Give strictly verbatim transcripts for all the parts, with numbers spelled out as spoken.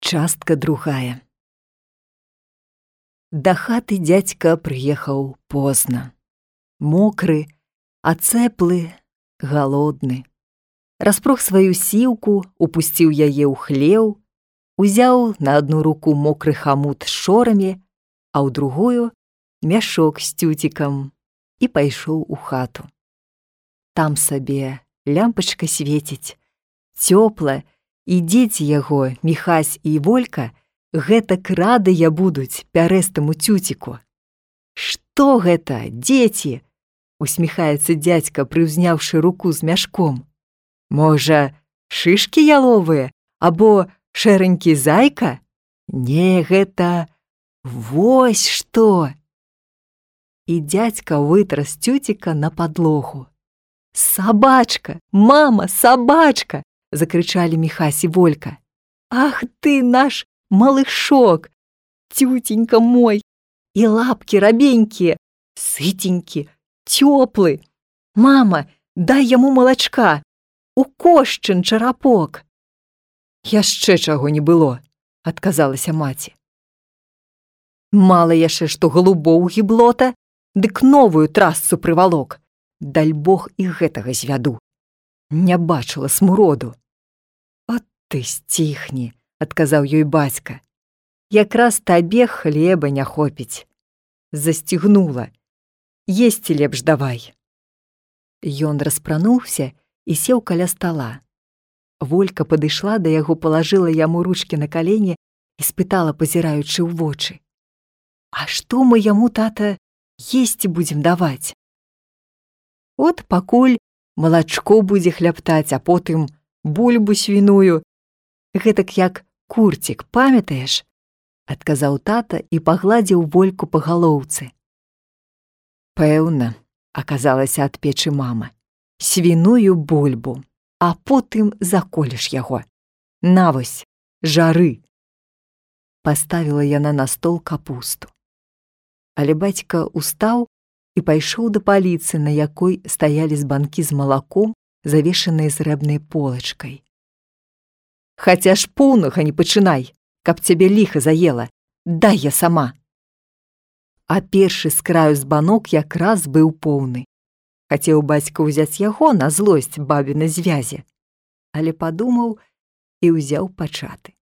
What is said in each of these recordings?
Частка другая. Да хаты дзядзька прыехаў позна. Мокры, ацэплы, галодны. Распрог сваю сіўку, упусціў яе ў хлеў, узяў на адну руку мокры хамут з шорамі, а ў другую мяшок з цюцікам і пайшоў у хату. Там сабе лямпачка свеціць, цёпла, і дзеці яго, Міхась і Волька, гэтак радыя будуць пярэстаму цюціку. «Што гэта, дзеці?» – усміхаецца дзядзька, прыўзняўшы руку з мяшком. «Можа, шышкі яловыя або шэранькі зайка? Не, гэта вось што!» І дзядзька вытра з цюціка на падлогу. «Сабачка! Мама, сабачка!» – закрычалі Міхась і Волька. «Ах ты наш малышок! Тютенька мой! І лапкі рабенькія, сытенькі, цёплы! Мама, дай яму малачка! Укошчын чарапок!» «Яшчэ чаго не было!» – адказалася маці. «Мала яшчэ, што голубоў гіблота, дык новую трасцу прывалок. Даль Бог і гэтага звяду. Не бачыла смуроду». «От ты сціхні!» – адказаў ёй бацька. «Якраз табе хлеба не хопіць. Засцігнула. Есці лепш давай». Ён распрануўся і сеў каля стала. Волька падышла да яго, палажыла яму ручкі на калені і спытала, пазіраючы ў вочы: «А што мы яму, тата, есці будзем даваць?» «От пакуль малачко будзе хляптаць, а потым бульбу свіную. Гэтак як курцік, памятаеш?» – адказаў тата і пагладзіў Вольку па галоўцы. «Пэўна», – аказалася ад печы мама, – «свіную бульбу, а потым заколеш яго. На вось, жары». Паставіла яна на стол капусту. Але бацька устаў і пайшоў да паліцы, на якой стаялі збанкі з малаком, завешаныя срэбнай полачкай. «Хаця ж поўнага не пачынай, каб цябе ліха заела. Дай я сама». А першы з краю збанок якраз быў поўны. Хацеў бацька ўзяць яго на злосць бабінай звязе, але падумаў і ўзяў пачаты.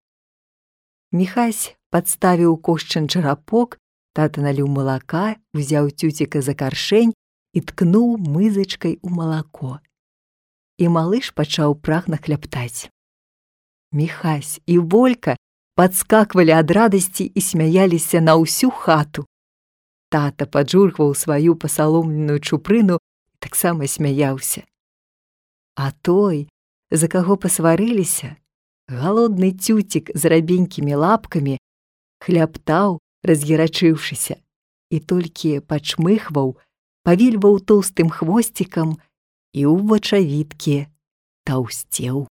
Міхась падставіў кошчын чарапок, тата наліў малака, узяў цюціка за каршэнь і ткнуў мызачкай у малако. І малыш пачаў прагна хляптаць. Міхась і Волька падскаквалі ад радасці і смяяліся на ўсю хату. Тата паджургваў сваю пасаломленую чупрыну і таксама смяяўся. А той, за каго пасварыліся, галодны цюцік з рабенькімі лапкамі, хляптаў, разгерачыўшыся, і толькі пачмыхваў, павільваў тоўстым хвосцікам і ў вачавіткі таўсцеў.